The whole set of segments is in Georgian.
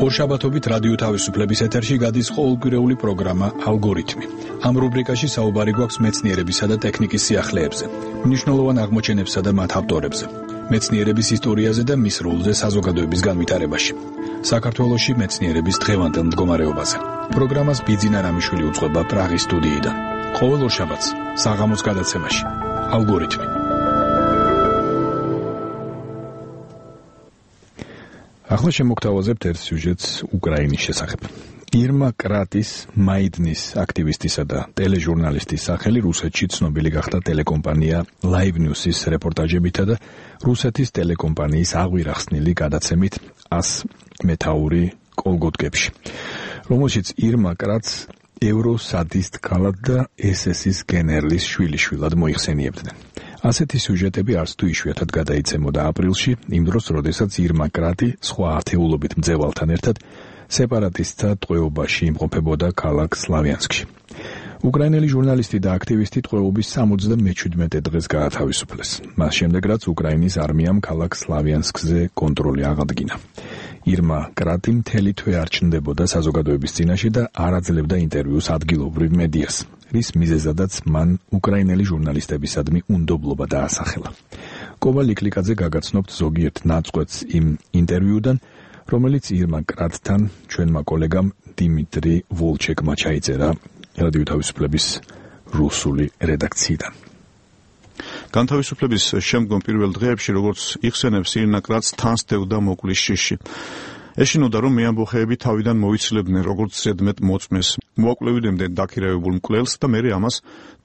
ორშაბათობით რადიო თავისუფლების ეთერში გადის ყოველკვირეული პროგრამა ალგორითმი. ამ რუბრიკაში საუბარი გვაქვს მეცნიერებისა და ტექნიკის სიახლეებზე, მნიშვნელოვან აღმოჩენებსა და მათ ავტორებზე, მეცნიერების ისტორიაზე და მის როლზე საზოგადოების განვითარებაში. საქართველოში მეცნიერების დღევანდელ მდგომარეობაზე. პროგრამას ბიძინა რამიშვილი უძღვება პრაღის სტუდიიდან. ყოველ ორშაბათს საღამოს გადაცემაში ალგორითმი. ახლა შემოგთავაზებთ ერთ სიუჟეტს უკრაინის შესახებ. ირმა კრატის, მაიდნის აქტივისტისა და ტელეჟურნალისტის სახელი რუსეთში ცნობილი გახდა ტელეკომპანია Live News-ის რეპორტაჟებითა და რუსეთის ტელეკომპანიის აღვირახსნილი გადაცემით 100 მეთაური კოლგოტკებში, რომელშიც ირმა კრატს ევროსადისტ ქალად და SS-ის გენერლის შვილიშვილად მოიხსენიებდნენ. ასეთი სიუჟეტები არც თუ იშვიათად გადაიცემოდა აპრილში, იმ დროს, როდესაც ირმა კრატი სხვა ათეულობით მძევალთან ერთად სეპარატისტთა ტყვეობაში იმყოფებოდა ქალაქ სლავიანსკში. უკრაინელი ჟურნალისტი და აქტივისტი ტყვეობის 77 დღეს გაათავისუფლეს. მას შემდეგ, რაც უკრაინის არმიამ ქალაქ სლავიანსკზე კონტროლი აღადგინა. ირმა კრატი მთელი თვე არ ჩნდებოდა საზოგადოების წინაშე და არ აძლევდა ინტერვიუს ადგილობრივ მედიას, რის მიზეზადაც მან უკრაინელი ჟურნალისტებისადმი უნდობლობა დაასახელა. კოვა ლიკლიკაძე გაგაცნობთ ზოგიერთ ნაწყვეტს იმ ინტერვიუდან, რომელიც ირმა კრატთან ჩვენმა კოლეგამ დიმიტრი ვოლჩეკმა ჩაიწერა რადიო თავისუფლების რუსული რედაქციიდან. განთავისუფლების შემდგომ პირველ დღეებში, როგორც იხსენებს, ირმა კრატს თან სდევდა მოკვლის შიში. ეშინოდა, რომ მეამბოხეები თავიდან მოიცლებდნენ როგორც ზედმეტ მოწმეს, მოაკვლევინებდნენ დაქირავებულ მკვლელს და მერე ამას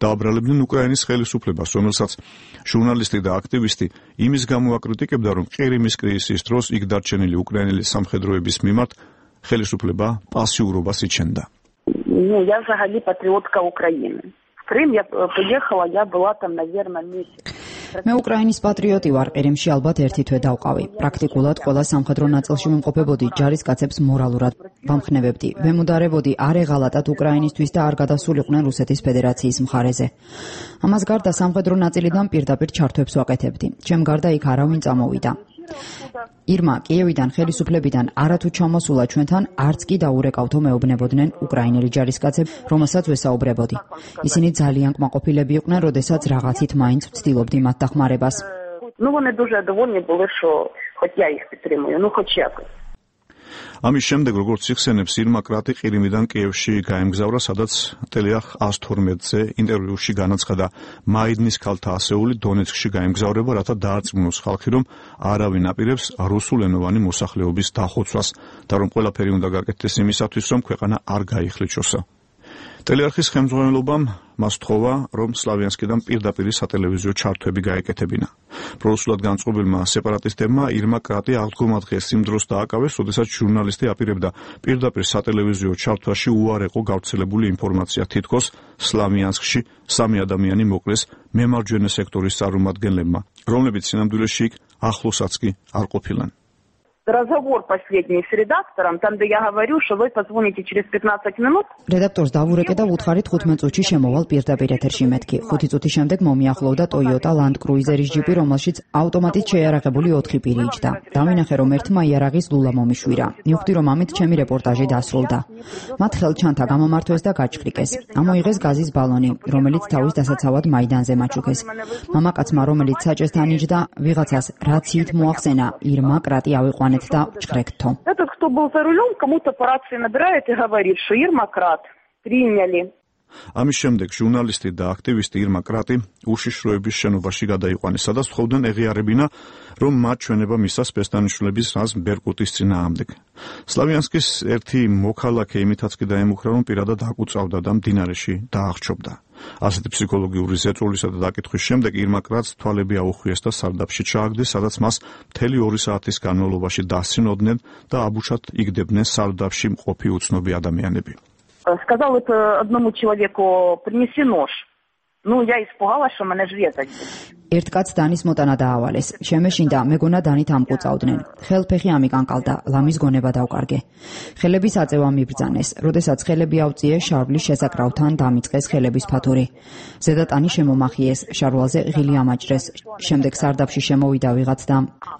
დააბრალებდნენ უკრაინის ხელისუფლებას, რომელსაც ჟურნალისტი და აქტივისტი იმის გამო აკრიტიკებდა, რომ ყირიმის კრიზისის დროს იქ დარჩენილი უკრაინელი სამხედროების მიმართ ხელისუფლება პასიურობას იჩენდა. Я взагалі патріотка України. В Крым я приехала, я была там, наверное, месяц. მე უკრაინის პატრიოტი ვარ, ყირიმში ალბათ ერთი თვე დავყავი. პრაქტიკულად ყველა სამხედრო ნაწილში ვიმყოფებოდი, ჯარისკაცებს მორალურად ვამხნევებდი. ვემუდარებოდი არ ეღალატათ უკრაინისთვის და არ გადასულიყვნენ რუსეთის ფედერაციის მხარეზე. ამას გარდა სამხედრო ნაწილიდან პირდაპირ ჩართვებს ვაკეთებდი. ჩემ გარდა იქ არავინ წამოვიდა. ირმა კიევიდან ხელისუფლებიდან არათუ ჩამოსულა ჩვენთან არც კი დაურეკავთო მეუბნებოდნენ უკრაინელი ჯარისკაცები, რომელსაც ვესაუბრებოდი. ისინი ძალიან კმაყოფილები იყვნენ, როდესაც რაღაცით მაინც ვცდილობდი მათ დახმარებას. Вони дуже довольні були, що хоч я їх підтримую, хоч якось. ამის შემდეგ, როგორც იხსენებს, ირმა კრატი ყირიმიდან კიევში გაემგზავრა, სადაც ტელეახ 112-ზე ინტერვიუში განაცხადა მაიდნის ქალთა ასეული დონეცკში გაემგზავრება, რათა დაარწმუნოს ხალხი, რომ არავინ აპირებს რუსულენოვანი მოსახლეობის დახოცვას და რომ ყველაფერი უნდა გაკეთდეს იმისათვის, რომ ქვეყანა არ გაიხლიჩოსა. ტელეარხის ხელმძღვანელობამ მას თხოვა, რომ სლავიანსკიდან პირდაპირ სატელევიზიო ჩართვები გაეკეთებინა. პრორუსულად განწყობილმა სეპარატისტებმა ირმა კრატი აღდგომა დღეს იმ დროს დააკავეს, როდესაც ჟურნალისტი აპირებდა პირდაპირ სატელევიზიო ჩართვაში უარეყო გავრცელებული ინფორმაცია, თითქოს სლავიანსკში 3 ადამიანი მოკლეს მემარჯვენე სექტორის წარმომადგენლებმა, რომლებიც სინამდვილეში იქ ახლოსაც კი არ ყოფილან. Разговор последний с редактором, там, где я говорю, что вы позвоните через 15 минут. რედაქტორს დავურეკე და ვუთხარით 15 წუთში შემოვალ პირდაპირ ეთერში მეთქი. 5 წუთის შემდეგ მომიახლოვდა Toyota Land Cruiser-ის ჯიპი, რომელშიც ავტომატით შეიარაღებული 4 პირი იჯდა. დავინახე, რომ ერთმა იარაღის ლულა მომიშვირა. მივხვდი, რომ ამით ჩემი რეპორტაჟი დასრულდა. მათ ხელჩანთა გამომართვეს და გაჩხრიკეს. ამოიღეს გაზის ბალონი, რომელიც თავის დასაცავად მაიდანზე მაჩუქეს. მამაკაცმა, რომელიც საჭესთან იჯდა, ვიღაცას რაციით მოახსენა, ირმა კრატი ავიყვანეთ და ჩხრეკთო. Этот, кто был за рулем, кому-то по рации набирает и говорит, что Ирма Крат приняли. ამის შემდეგ ჟურნალისტი და აქტივისტი ირმა კრატი უშიშროების შენობაში გადაიყვანეს, სადაც თხოვდნენ ეღიარებინა, რომ მათ ჩვენება მისცა სპეცდანიშნულების რაზმ ბერკუტის წინააღმდეგ. სლავიანსკის ერთი მოქალაქე იმითაც კი დაემუქრა, რომ პირადად აკუწავდა და მდინარეში დაახრჩობდა. ასეთი ფსიქოლოგიური ზეწოლისა და დაკითხვის შემდეგ ირმა კრატს თვალები აუხვიეს და სარდაფში ჩააგდეს, სადაც მას მთელი 2 საათის განმავლობაში დასცინოდნენ და აბუჩად იგდებდნენ სარდაფში მყოფი უცნობი ადამიანები. Сказал это одному человеку, принеси нож. Я испугалась, что меня ж резать. ერთ კაცს დანის მოტანა დაავალეს. შემეშინდა, მეგონა დანით ამყუწავდნენ. ხელფეხი ამიკანკალდა, ლამის გონება დავკარგე. ხელების აწევა მიბრძანეს. როდესაც ხელები ავწიე, შარვლის შესაკრავთან დამიწყეს ხელების ფათური. ზედა ტანი შემომახიეს, შარვალზე ღილი ამაჭრეს. შემდეგ სარდაფში შემოვიდა ვიღაც და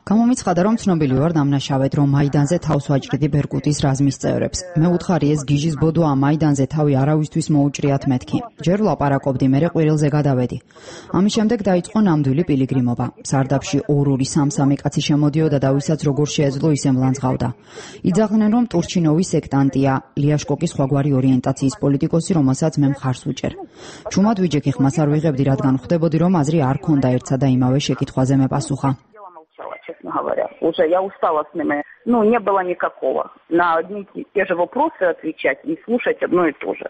გამომიცხადა, რომ ცნობილი ვარ დამნაშავედ, რომ მაიდანზე თავს ვაჭრიდი ბერკუტის რაზმის წევრებს. მე უთხარი ეს გიჟის ბოდოა, მაიდანზე თავი არავისთვის მოუჭრიათ მეთქი. ჯერ ვლაპარაკობდი, მერე ყვირილზე გადავედი. ამის შემდეგ დაიწყო ნამდვილი პილიგრიმობა. სარდაფში 2-3 3 კაცი შემოდიოდა და ვისაც როგორ შეეძლო ისე მლანძღავდა. იძახდნენ, რომ ტურჩინოვის სექტანტია, ლიაშკოკის სხვაგვარი ორიენტაციის პოლიტიკოსი, რომელსაც მე მხარს ვუჭერ. ჩუმად ვიჯექი ხმას არ ვიღებდი, რადგან ხვდებოდი, რომ აზრი არ ქონდა ერთსა და იმავე შეკითხვაზე მე პასუხა. Честно говоря, уже я устала с ними. Не было никакого. На одни и те же вопросы отвечать и слушать одно и то же.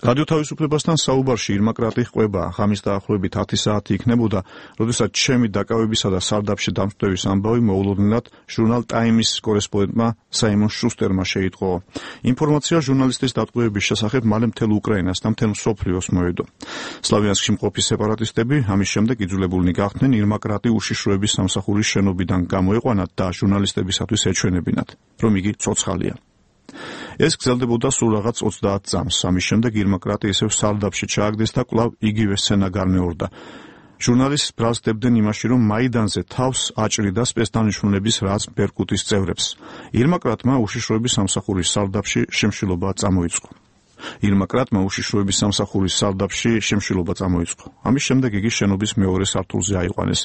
რადიო თავისუფლებასთან საუბარში ირმა კრატი ყვება, ღამის დაახლოებით 10 საათი იქნებოდა, როდესაც ჩემი დაკავებისა და სარდაფში დამწვევის ამბავი მოულოდნელად ჟურნალ ტაიმის კორესპონდენტმა საიმონ შუსტერმა შეიტყო. ინფორმაცია ჟურნალისტის დატყვევების შესახებ მალე მთელ უკრაინას და მთელ მსოფლიოს მოვიდო. სლავიანსკში მყოფი სეპარატისტები ამის შემდეგ იძულებულნი გახდნენ ირმა კრატი უშიშროების სამსახურის შენობიდან გამოეყვანათ და ჟურნალისტებისათვის ეჩვენებინათ, რომ იგი ცოცხალია. ეს გრძელდებოდა სულ რაღაც 30 წამს. ამის შემდეგ ირმა კრატი ისევ სარდაფში ჩააგდეს და კვლავ იგივე სცენა გარნეორდა. ჟურნალისტს ბრალსდებდნენ იმაში, რომ მაიდანზე თავს აჭრიდა სპეცდანიშნულების რაც ბერკუტის წევრებს. ირმა კრატმა უშიშროების სამსახურის სარდაფში შემშილობა წამოიწყო. ამის შემდეგ იგი შენობის მეორე სართულზე აიყვანეს.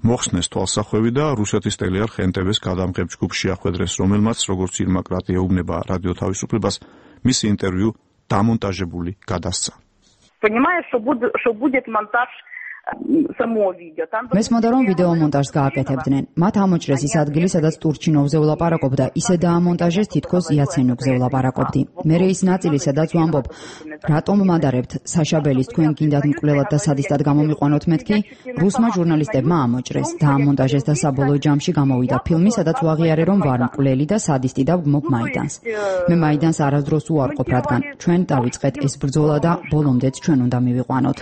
მოხსნეს თვალსახვევი და რუსეთის ტელეარხ NTV-ს გადამღებ ჯგუფში ახვედრეს, რომელმაც როგორც ირმა კრატი ეუბნება რადიო თავისუფლებას, მისი ინტერვიუ დამონტაჟებული გადასცა. Понимаешь, что будет монтаж самого видео. მესმოდა, რომ ვიდეო მონტაჟს გააკეთებდნენ. მათ ამოჭრეს ის ადგილი, სადაც ტურჩინოვზე ვლაპარაკობდა, ისე დაამონტაჟეს, თითქოს იაცენიუკზე ვლაპარაკობდი. მერე ის ნაწილი, სადაც ვამბობ, რატომ მადარებთ საშაბელის, თქვენ გინდათ მკვლელად და სადისტად გამომიყვანოთ მეთქი, რუსმა ჟურნალისტებმა ამოჭრეს, დაამონტაჟეს და საბოლოო ჯამში გამოვიდა ფილმი, სადაც ვაღიარე, რომ ვარ მკვლელი და სადისტი და ვგმობ მაიდანს. მე მაიდანს არასდროს უარყოფ, რადგან ჩვენ დავიწყეთ ეს ბრძოლა და ბოლომდეც ჩვენ უნდა მივიყვანოთ.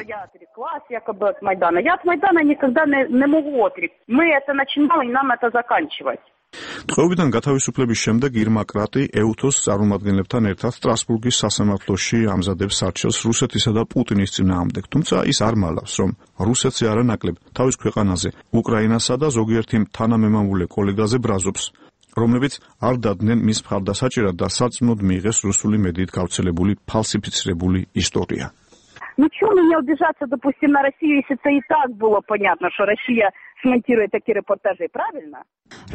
Якобы от Майдана. Я от Майдана никогда не могу отречься. Мы это начинали, и нам это заканчивать. ტყვეობიდან გათავისუფლების შემდეგ ირმა კრატი ეუთოს წარმომადგენლებთან ერთად სტრასბურგის სასამართლოში ამზადებს არჩევს რუსეთისა და პუტინის წინააღმდეგ. თუმცა ის არ მალავს, რომ რუსეთზე არანაკლებ თავის ქვეყანაზე, უკრაინასა და ზოგიერთი თანამემამულე კოლეგაზე ბრაზობს, რომლებიც არ დადდნენ მის მხარდასაჭერად და სარწმუნოდ მიიღეს რუსული მედიით გავრცელებული ფალსიფიცირებული ისტორია. Чего мне убежаться, допустим, на Россию, если это и так было понятно, что Россия смонтирует такие репортажи, правильно?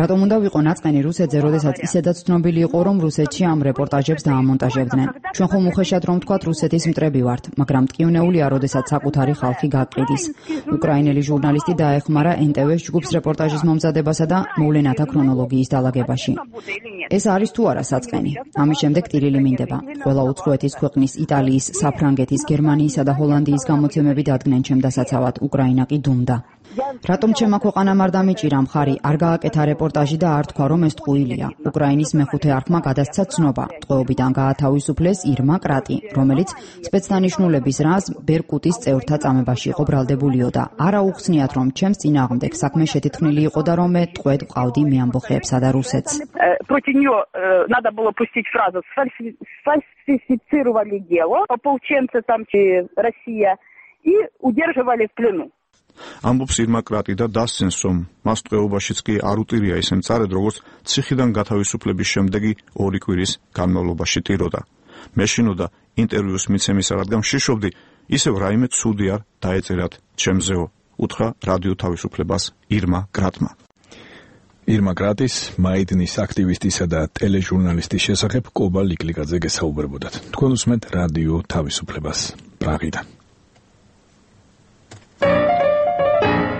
რატომ უნდა ვიყო ნაწყენი რუსეთზე, როდესაც ისედაც ცნობილი იყო, რომ რუსეთში ამ რეპორტაჟებს დაამონტაჟებდნენ. ჩვენ ხომ უხეშად რომ ვთქვათ რუსეთის მტრები ვართ, მაგრამ მტკივნეულია, როდესაც საკუთარი ხალხი გაყიდის. უკრაინელი ჟურნალისტი დაეხმარა NTV-ს ჯგუფს რეპორტაჟის მომზადებასა და მოვლენათა ქრონოლოგიის დალაგებაში. ეს არის თუ არა საწყენი. ამის შემდეგ ტირილი მინდება. ყველა უცხოეთის ქვეყნის, იტალიის, საფრანგეთის, გერმანიისა და ჰოლანდიის გამოცემები დადგნენ ჩემ დასაცავად, უკრაინა კი დუმდა. რატომ ჩემმა ქვეყანამ არ დამიჭირა მხარი, არ გააკეთა რეპორტაჟი და არ თქვა, რომ ეს ტყუილია. უკრაინის მეხუთე არხმა გადასცა ცნობა. ტყვეობიდან გაათავისუფლეს ირმა კრატი, რომელიც სპეცდანიშნულების რაზმ ბერკუტის წევრთა წამებაში იყო ბრალდებულიო და არა უხსნიათ, რომ ჩემს წინააღმდეგ საქმე შეთითხნილი იყო და რომ მე ტყვედ ვყავდი მე ამბოხეებსა და რუსეთს. Против нее надо было пустить фразу «сфальсифицировали дело», ополченцы там Россия, и удерживали в плену. ამბობს ირმა კრატი და დასცენს, რომ მას ტყვეობაშიც კი არ უტირია ისე მწარედ, როგორც ციხიდან გათავისუფლების შემდეგი 2 კვირის განმავლობაში ტიროდა. მე შინოდა ინტერვიუს მიცემისა, რადგან შიშობდი, ისევ რაიმე ცუდი არ დაეწერათ ჩემზეო, უთხრა რადიო თავისუფლებას ირმა კრატმა. ირმა კრატის მაიდნის აქტივისტისა და ტელეჟურნალისტის შესახებ კობა ლიკლიკაძე გესაუბრებოდათ. თქვენ უსმენთ რადიო თავისუფლებას პრაღიდან.